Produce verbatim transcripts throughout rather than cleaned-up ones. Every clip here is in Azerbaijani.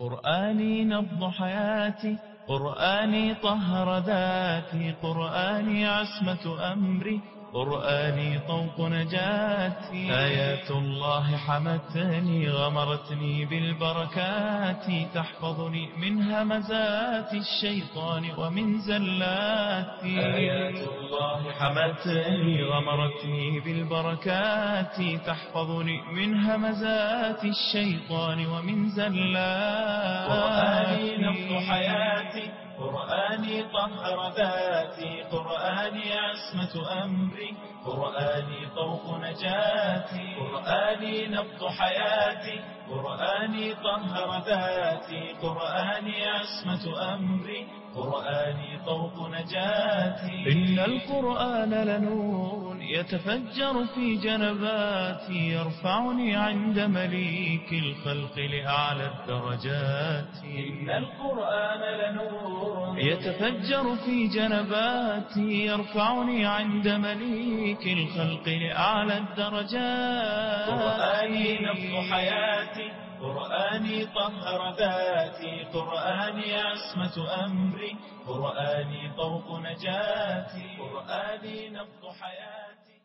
قرآني نبض حياتي، قرآني طهر ذاتي، قرآني عصمة أمري، قرآني طوق نجاتي. آيات الله حمتني غمرتني بالبركات، تحفظني من همزات الشيطان ومن زلات. آيات الله حمتني غمرتني بالبركات، تحفظني من همزات الشيطان ومن زلات. قرآني نبض حياتي، قرآني طهر ذاتي، قرآني عصمة أمري، قرآني طوق نجاتي. قرآني نبض حياتي، قرآني طهر ذاتي، قرآني عصمة أمري، قرآني طوق نجاتي. إن القرآن لنور يتفجر في جنباتي، يرفعني عند مليك الخلق لأعلى الدرجات. إن القرآن لنور يتفجر في جنباتي، يرفعني عند مليك الخلق لأعلى الدرجات. قرآني نبض حياتي، قرآني طهر ذاتي، قرآني عصمة أمري، قرآني طوق نجاتي. قرآني نبض حياتي.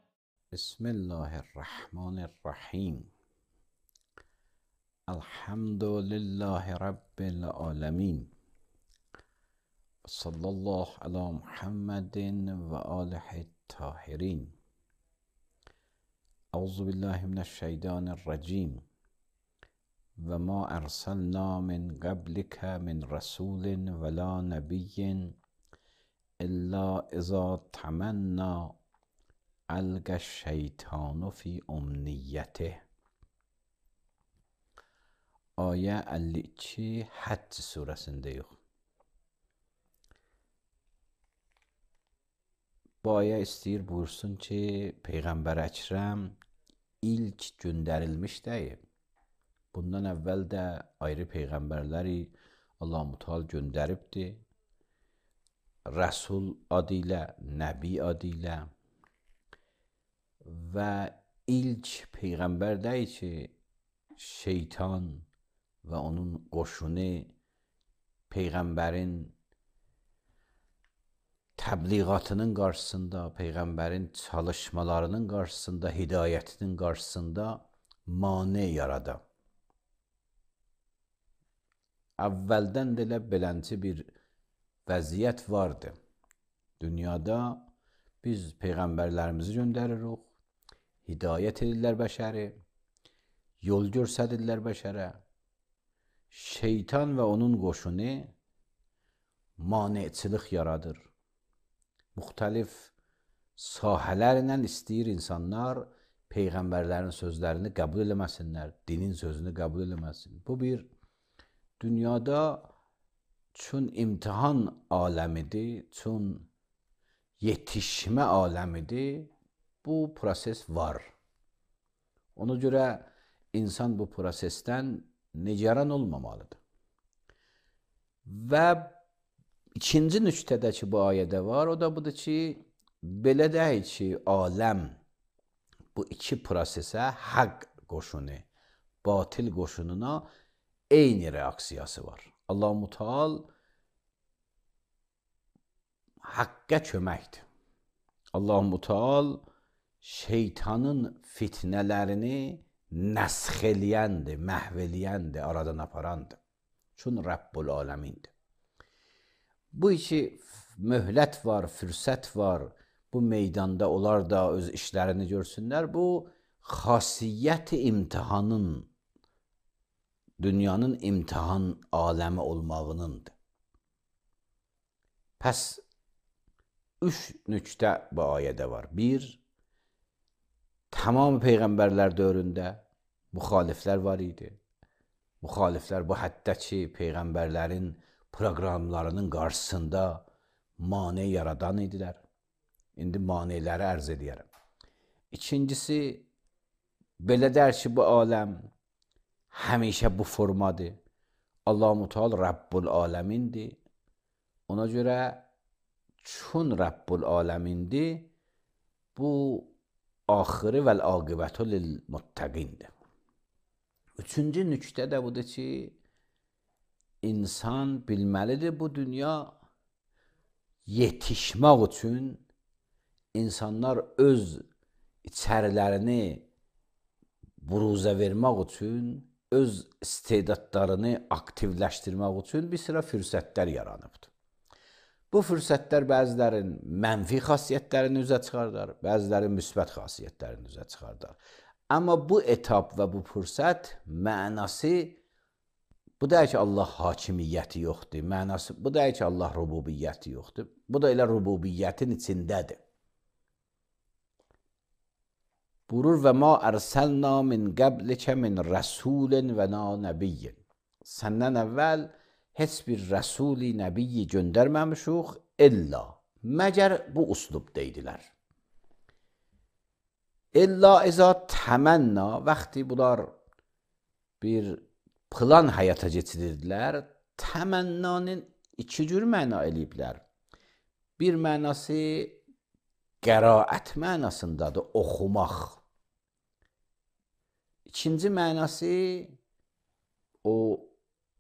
بسم الله الرحمن الرحیم. الحمد لله رب العالمین، صلی الله علی محمد و آله الطاهرین. اعوذ بالله من الشیطان الرجیم. و ما ارسلنا من قبلك من رسول ولا نبی الا اذا تمنى القى الشیطان فی امنیته. Ayə əlli iki Həcc surəsindəyik. Bu ayə istəyir buyursun ki, Peyğəmbər Əkrəm ilk göndərilmiş deyil. Bundan əvvəl də ayrı peyğəmbərləri Allah-u Teala göndəribdir. Rəsul adı ilə, Nəbi adı ilə və ilk peyğəmbər deyil ki, şeytan və onun qoşunu peyğəmbərin təbliğatının qarşısında, peyğəmbərin çalışmalarının qarşısında, hidayətinin qarşısında mane yarada. Əvvəldən də elə belənci bir vəziyyət vardı. Dünyada biz peyğəmbərlərimizi göndəririk, hidayət edirlər bəşəri, yol göstərirlər bəşərə. Şeytan və onun qoşunu maneçilik yaradır. Müxtəlif sahələrlə istəyir insanlar peyğəmbərlərin sözlərini qəbul eləməsinlər, dinin sözünü qəbul eləməsin. Bu bir dünyada çün imtihan aləmidir, çün yetişmə aləmidir. Bu proses var. Ona görə insan bu prosesdən nigaran olmamalıdır. Və ikinci nüqtədə ki, bu ayədə var, o da budur ki, belə deyil ki, aləm bu iki prosesə haqq qoşunu, batil qoşununa eyni reaksiyası var. Allah-u Teala haqqa köməkdir. Allah-u Teala şeytanın fitnələrini nəsx eləyəndir, məhv eləyəndir, aradan aparandır. Çün Rəbbul aləmindir. Bu iki möhlət var, fürsət var. Bu meydanda onlar da öz işlərini görsünlər. Bu xasiyyət imtihanın, dünyanın imtihan aləmi olmağınındır. Pəs üç nüqtə bu ayədə var. Bir, tamam peyğəmbərlər dövründə müxaliflər var idi. Müxaliflər bu həddə ki, peyğəmbərlərin proqramlarının qarşısında mane yaradan idilər. İndi maneləri ərz edərəm. İkincisi, belə dər ki, bu aləm həmişə bu formadır. Allah-u Teala Rəbbul aləmindir. Ona görə çün Rəbbul aləmindir, bu axırı vəl-aqibətü lil-muttəqindir. Üçüncü nüqtə də budur ki, insan bilməlidir bu dünya yetişmək üçün insanlar öz içərilərini buruzə vermək üçün, öz istedadlarını aktivləşdirmək üçün bir sıra fürsətlər yaranıbdır. Bu fürsətlər bəzilərin mənfi xasiyyətlərini üzə çıxardar, bəzilərin müsbət xasiyyətlərini üzə çıxardar. Amma bu etap və bu fürsət mənası bu deyil ki, Allah hakimiyyəti yoxdur, mənası bu deyil ki, Allah rububiyyəti yoxdur. Bu da elə rububiyyətin içindədir. Buyurur və ma ərsəlna min qəblikə min rəsulin və na nəbiyyin. Səndən əvvəl heç bir rəsuli, nəbiyyi göndərməmişuq illa. Məgər bu uslub deydilər. İlla izə təmənna, vaxtı bunlar bir plan həyata keçirirdilər, təmənnanın iki cür məna eləyiblər. Bir mənası qəraət mənasındadır, oxumaq. İkinci mənası o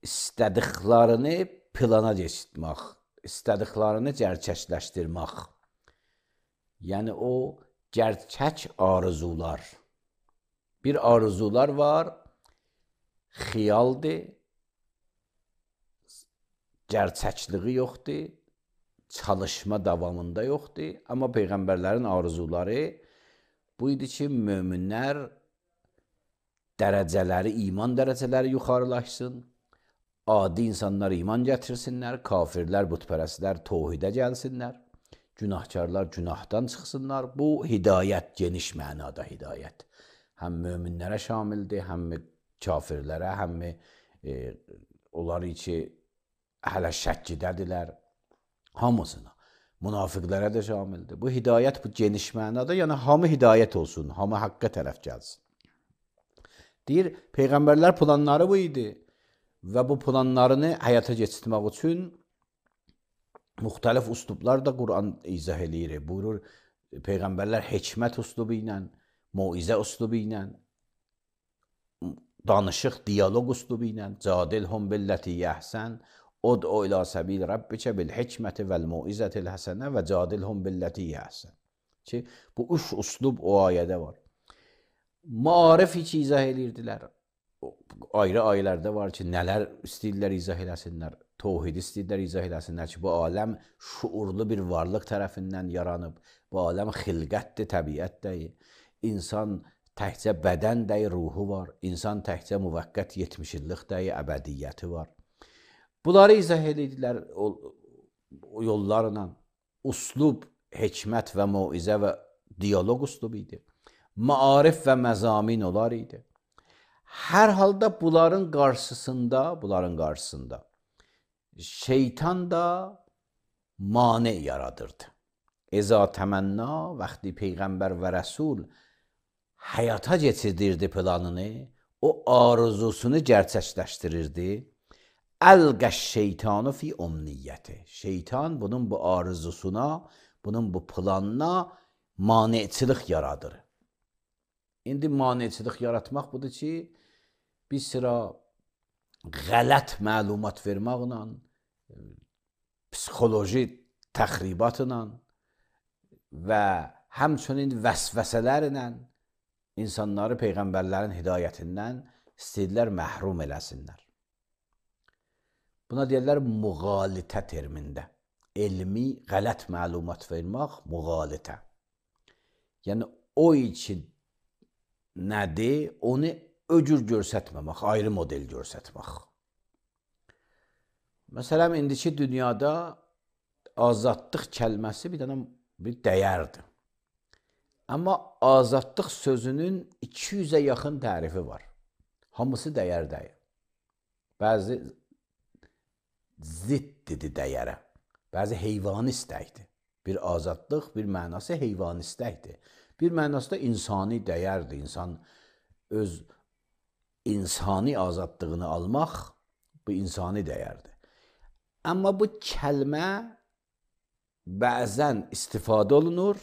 istədiklərini plana keçirmək, istədiklərini gerçəkləşdirmək. Yəni o gerçək arzular. Bir arzular var, xiyaldır, gerçəkliyi yoxdur, çalışma davamında yoxdur. Amma Peyğəmbərlərin arzuları bu idi ki, möminlər dərəcələri, iman dərəcələri yuxarılaşsın, adi insanlar iman gətirsinlər, kafirlər, bütpərəstlər tohidə gəlsinlər, günahkarlar günahdan çıxsınlar. Bu hidayət, geniş mənada hidayət. Həm möminlərə şamildir, həm kafirlərə, həm e, onları ki, hələ şəkkidədirlər, hamısına, münafiqlərə də şamildir. Bu hidayət, bu geniş mənada, yəni hamı hidayət olsun, hamı haqqa tərəf gəlsin. Deyir, Peyğəmbərlər planları bu idi və bu planlarını həyata keçirmək üçün müxtəlif üslublar da Quran izah eləyir. Buyurur, Peyğəmbərlər hikmət üslubu ilə, moizə üslubu ilə, danışıq, diyaloq üslubu ilə, cadilhum billəti yəhsən, ud'u ilə səbil rabbikə bil hikməti vəl moizətil həsənə və cadilhum billəti yəhsən. Ki, bu üç üslub o ayədə var. Maarif ki, izah edirdilər. Ayrı ayələrdə var ki, nələr istəyirlər izah eləsinlər, tohid istəyirlər izah eləsinlər ki, bu aləm şuurlu bir varlıq tərəfindən yaranıb, bu aləm xilqətdir, təbiətdir, insan təkcə bədən dəyi, ruhu var, insan təkcə müvəqqət yetmiş illik dəyi, əbədiyyəti var. Bunları izah edirdilər o, o yollarla. Uslub, hikmət və moizə və diyaloq uslubu idi. Maarif və məzamin olar idi. Hər halda bunların qarşısında, bunların qarşısında şeytan da mane yaradırdı. Eza təmənna, vaxtı Peyğəmbər və Rəsul həyata keçirdirdi planını, o arzusunu gerçəkləşdirirdi. Əlqəş şeytanı fi omniyyəti. Şeytan bunun bu arzusuna, bunun bu planına maneçilik yaradır. İndi maneçilik yaratmaq budur ki, bir sıra qələt məlumat verməklə, psixoloji təxribatla və həmçinin vəsvəsələrlə insanları Peyğəmbərlərin hidayətindən istəyirlər məhrum eləsinlər. Buna deyirlər müğalitə termində. Elmi qələt məlumat vermək müğalitə. Yəni o için nədir? Onu öcür görsətməmək, ayrı model görsətmək. Məsələn, indiki dünyada azadlıq kəlməsi bir dənə bir dəyərdir. Amma azadlıq sözünün iki yüzə yaxın tərifi var. Hamısı dəyər deyil. Bəzi ziddidir dəyərə. Bəzi heyvani istəkdir. Bir azadlıq, bir mənası heyvani istəkdir. Bir mənası da insani dəyərdir. İnsan öz insani azadlığını almaq, bu insani dəyərdir. Amma bu kəlmə bəzən istifadə olunur,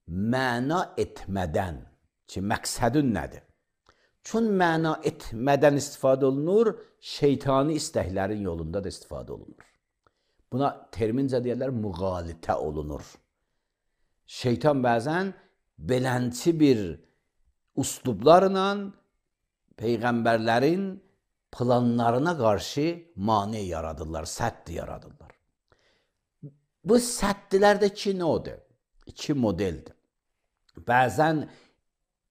məna etmədən ki, məqsədün nədir? Çün məna etmədən istifadə olunur, şeytani istəklərin yolunda da istifadə olunur. Buna termincə deyirlər, müğalitə olunur. Şeytan bəzən belənçi bir üslublarla peyğəmbərlərin planlarına qarşı mane yaradırlar, sədd yaradırlar. Bu səddlər də iki nodur, iki modeldir. Bəzən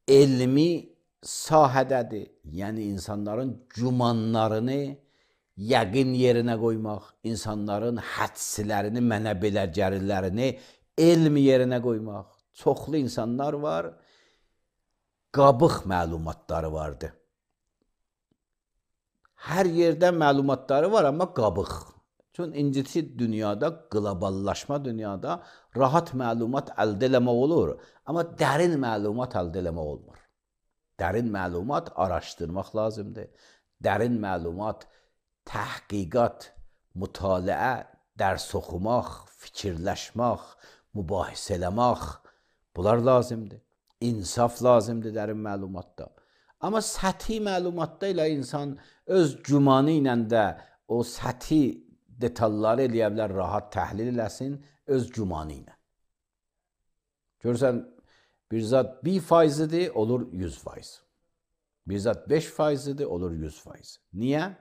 elmi sahədədir, yəni insanların gümanlarını yəqin yerinə qoymaq, insanların hədslərini, mənə belə gəlirlərini elm yerinə qoymaq. Çoxlu insanlar var, qabıq məlumatları vardır. Hər yerdə məlumatları var, amma qabıq. Çünki incisi dünyada, qloballaşma dünyada rahat məlumat əldə eləmək olur, amma dərin məlumat əldə eləmək olmur. Dərin məlumat araşdırmaq lazımdır. Dərin məlumat, təhqiqat, mütaliə, dərs oxumaq, fikirləşmək, mübahisə eləmək, bunlar lazımdır. İnsaf lazımdır dərin məlumatda. Amma səthi məlumatda ilə insan öz gümanı ilə də o səthi detalları eləyə bilər, rahat təhlil eləsin öz gümanı ilə. Görürsən, bir zat bir faizidir, olur yüz faiz. Bir zat beş faizidir, olur yüz faiz. Niyə?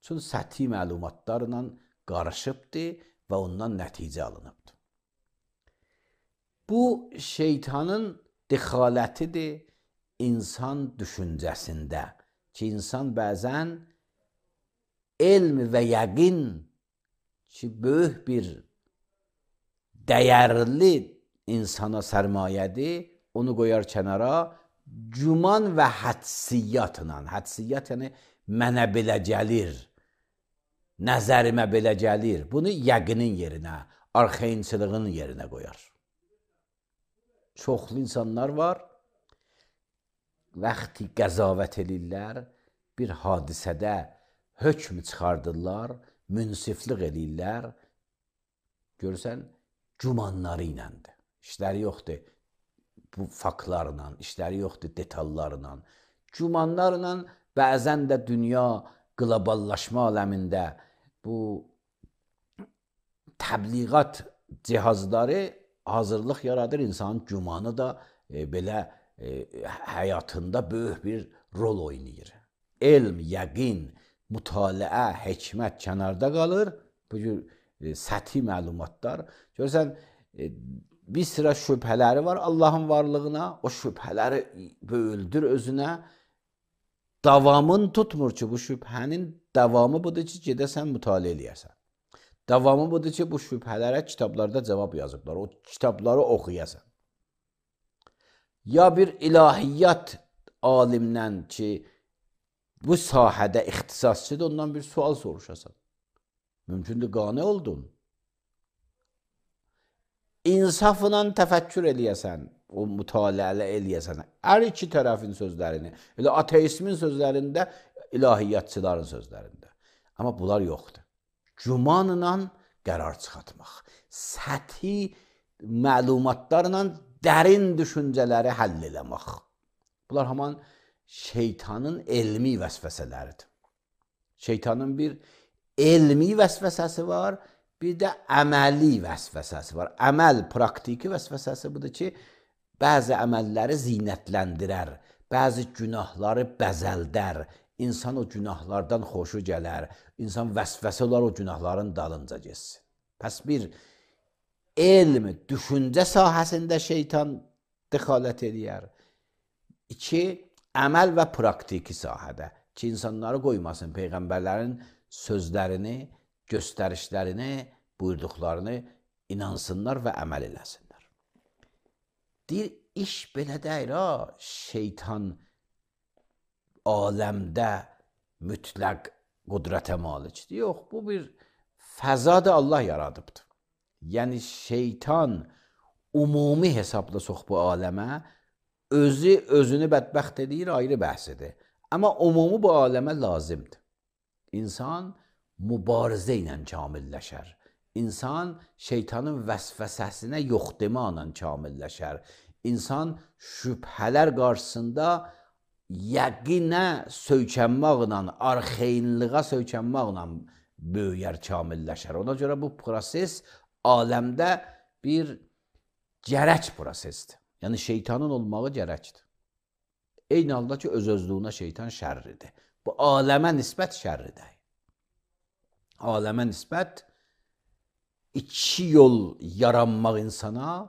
Çünki səthi məlumatlarla qarışıbdır və ondan nəticə alınıbdır. Bu, şeytanın dexalətidir insan düşüncəsində ki, insan bəzən elm və yəqin ki, böyük bir dəyərli insana sərmayədir, onu qoyar kənara, güman və hədsiyyatla, hədsiyyat yəni mənə belə gəlir, nəzərimə belə gəlir, bunu yəqinin yerinə, arxayınçılığın yerinə qoyar. Çoxlu insanlar var, vaxtı qəzavət edirlər, bir hadisədə hökm çıxardırlar, münsiflik edirlər, görürsən, gümanları iləndir. İşləri yoxdur bu faktlarla, işləri yoxdur detallarla. Gümanlarla bəzən də dünya qloballaşma aləmində bu təbliğat cihazları hazırlıq yaradır, insanın gümanı da e, belə e, həyatında böyük bir rol oynayır. Elm, yəqin, mütaliə, hikmət kənarda qalır, bu cür e, səthi məlumatlar. Görürsən, e, bir sıra şübhələri var Allahın varlığına, o şübhələri böyüldür özünə. Davamın tutmur ki, bu şübhənin davamı budur ki, gedəsən mütaliə eləyəsən. Davamı budur ki, bu şübhələrə kitablarda cavab yazıblar, o kitabları oxuyasan. Ya bir ilahiyyat alimdən ki, bu sahədə ixtisasçıdır, ondan bir sual soruşasan. Mümkündür, qane oldun. İnsafla təfəkkür eləyəsən, o mütaliələ eləyəsən, hər iki tərəfin sözlərini, elə ateismin sözlərində, ilahiyyatçıların sözlərində. Amma bunlar yoxdur. Gümanla qərar çıxartmaq, səthi məlumatlarla dərin düşüncələri həll eləmək. Bunlar haman şeytanın elmi vəsvəsələridir. Şeytanın bir elmi vəsvəsəsi var, bir də əməli vəsvəsəsi var. Əməl, praktiki vəsvəsəsi budur ki, bəzi əməlləri zinətləndirər, bəzi günahları bəzəldər, insan o günahlardan xoşu gələr, insan vəsvəsə olar o günahların dalınca geçsin. Pəs bir elm, düşüncə sahəsində şeytan dexalət eləyər. İki, əməl və praktiki sahədə ki, insanları qoymasın, peyğəmbərlərin sözlərini, göstərişlərini, buyurduqlarını inansınlar və əməl eləsinlər. Deyir, iş belə deyir, ha, şeytan aləmdə mütləq qudrətə malikdir. Yox, bu bir fəzadır Allah yaradıbdır. Yəni, şeytan umumi hesabla sox bu aləmə, özü özünü bədbəxt edir, ayrı bəhsidir. Amma umumi bu aləmə lazımdır. İnsan mübarizə ilə kamilləşər. İnsan şeytanın vəsvəsəsinə yox deməklə kamilləşər. İnsan şübhələr qarşısında yəqinə söykənməklə, arxeynlığa söykənməklə böyüyər, kamilləşər. Ona görə bu proses aləmdə bir gərək prosesdir. Yəni şeytanın olmağı gərəkdir. Eyni halda ki, öz-özlüyünə şeytan şərridir. Bu aləmə nisbət şərridir. Aləmə nisbət iki yol yaranmaq insana,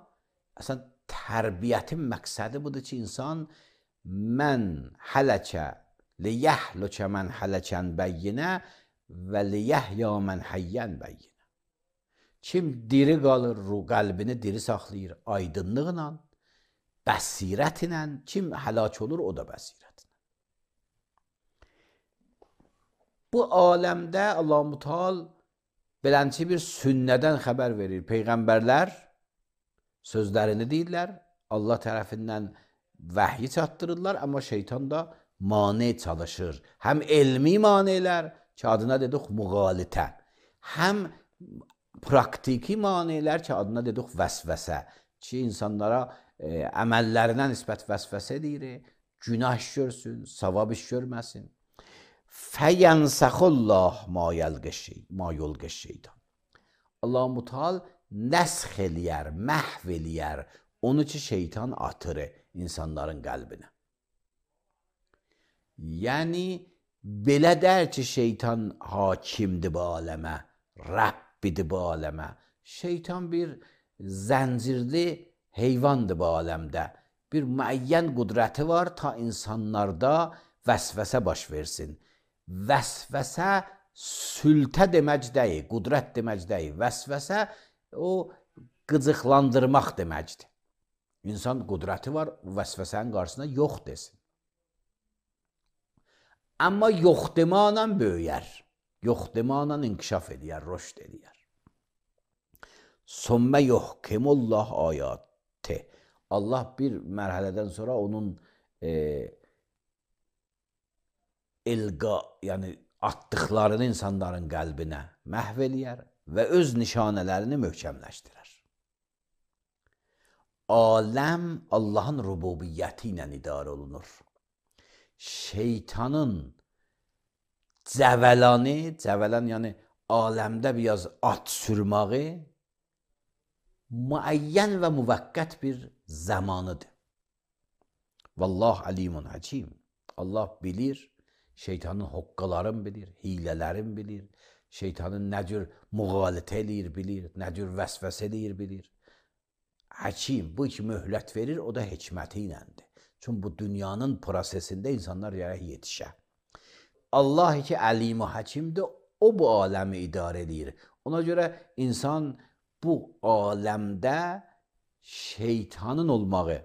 əslən, tərbiyyətin məqsədi budur ki, insan mən hələkə liyəhlükə mən hələkən bəyyinə və liyəhya mən həyyən bəyyinə. Kim diri qalır, ruh qəlbini diri saxlayır aydınlıqla, bəsirətlə, kim həlak olur, o da bəsirətlə. Bu aləmdə Allah-u Müteal belənçi bir sünnədən xəbər verir. Peyğəmbərlər sözlərini deyirlər, Allah tərəfindən vəhyi çatdırırlar, amma şeytan da mane çalışır. Həm elmi manelər ki, adına dedik müğalitə, həm praktiki manelər ki, adına dedik vəsvəsə, ki, insanlara e, əməllərinə nisbət vəsvəsə deyir, günah iş görsün, savab iş görməsin. Fəyənsəxullah ma yulqi şeytan. Allah-u Müteal nəsx eləyər, məhv eləyər, onu ki, şeytan atır insanların qəlbinə. Yəni, belə dər ki, şeytan hakimdir bu aləmə, Rəbbidir bu aləmə. Şeytan bir zəncirli heyvandır bu aləmdə. Bir müəyyən qudrəti var ta insanlarda vəsvəsə baş versin. Vəsvəsə sültə demək deyil, qudrət demək deyil. Vəsvəsə o qıcıqlandırmaq deməkdir. İnsan qudrəti var, vəsvəsənin qarşısında yox desin. Amma yox demanla böyüyər, yox demanla inkişaf edər, rüşd edər. Sümmə yuhkimullah ayati. Allah bir mərhələdən sonra onun e, ilqa, yəni atdıqlarını insanların qəlbinə məhv eləyər və öz nişanələrini möhkəmləşdirər. Aləm Allahın rububiyyəti ilə idarə olunur. Şeytanın cəvəlanı, cəvələn yəni aləmdə biraz at sürməyi müəyyən və müvəqqət bir zamanıdır. Vallah alimun hakim. Allah bilir, şeytanın hoqqalarını bilir, hilələrini bilir, şeytanın nə cür müğalitə eləyir bilir, nə cür vəsvəsə eləyir bilir. Hakim bu iki möhlət verir, o da hikməti iləndir. Çünki bu dünyanın prosesində insanlar yərək yetişə. Allah ki əlim-i həkimdir, o bu aləmi idarə edir. Ona görə insan bu aləmdə şeytanın olmağı,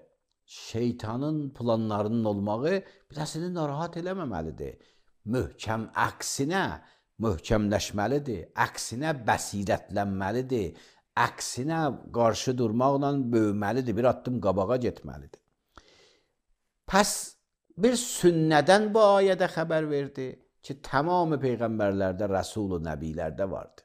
şeytanın planlarının olmağı birəsini narahat eləməməlidir. Möhkəm əksinə möhkəmləşməlidir, əksinə bəsirətlənməlidir, əksinə qarşı durmaqla böyüməlidir, bir addım qabağa getməlidir. Pəs bir sünnədən bu ayədə xəbər verdi ki, tamamı peyğəmbərlərdə, rəsul-u nəbilərdə vardı.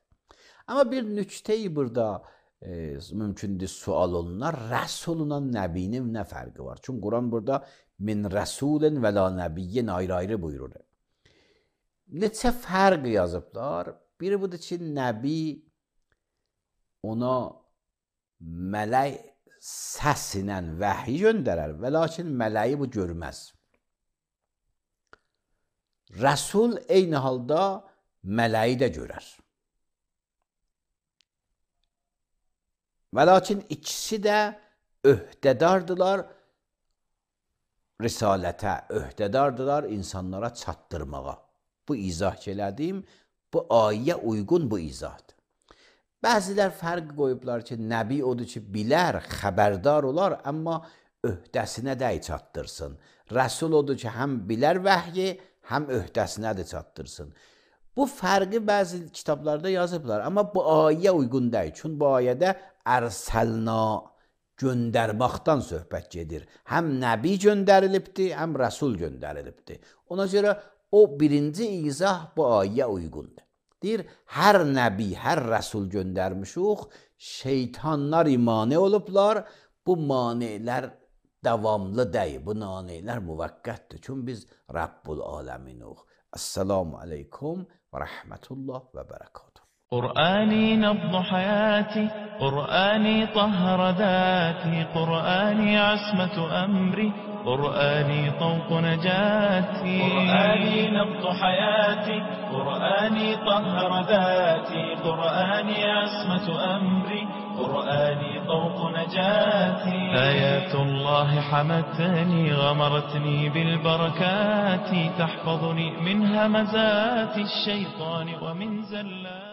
Amma bir nüktəyi burada e, mümkündür sual olunar, rəsulunla nəbinin nə fərqi var? Çünki Quran burada min rəsulin və la nəbiyyin ayrı-ayrı buyurur. Neçə fərq yazıblar? Biri budur ki, nəbi ona mələk səsinə vəhiy göndərər və lakin mələyi bu görməz. Rəsul eyni halda mələyi də görər. Və lakin ikisi də öhdədardılar risalətə, öhdədardılar insanlara çatdırmağa. Bu izah elədim, bu ayə uyğun bu izahdır. Bəzilər fərq qoyublar ki, nəbi odur ki, bilər, xəbərdar olar, amma öhdəsinə də çatdırsın. Rəsul odur ki, həm bilər vəhyi, həm öhdəsinə də çatdırsın. Bu fərqi bəzi kitablarda yazıblar, amma bu ayə uyğun deyil. Çünki bu ayədə ərsəlna göndərməkdən söhbət gedir. Həm nəbi göndərilibdir, həm rəsul göndərilibdir. Ona görə o birinci izah bu ayə uyğundur. Deyir, hər nəbi, hər rəsul göndərmişuq, şeytanlar imane olublar, bu manelər davamlı deyil. Bu naneylər müvəqqətdir. Çünki biz Rabbul Aleminıq. Assalamu aleykum və rəhmətullah və bərəkatuhu. قرآني نبض حياتي، قرآني طهر ذاتي، قرآني عصمة أمري، قرآني طوق نجاتي. قرآني نبض حياتي، قرآني طهر ذاتي، قرآني عصمة أمري، قرآني طوق نجاتي. آيات الله حمتني، غمرتني بالبركات، تحفظني من همزات الشيطان ومن زلات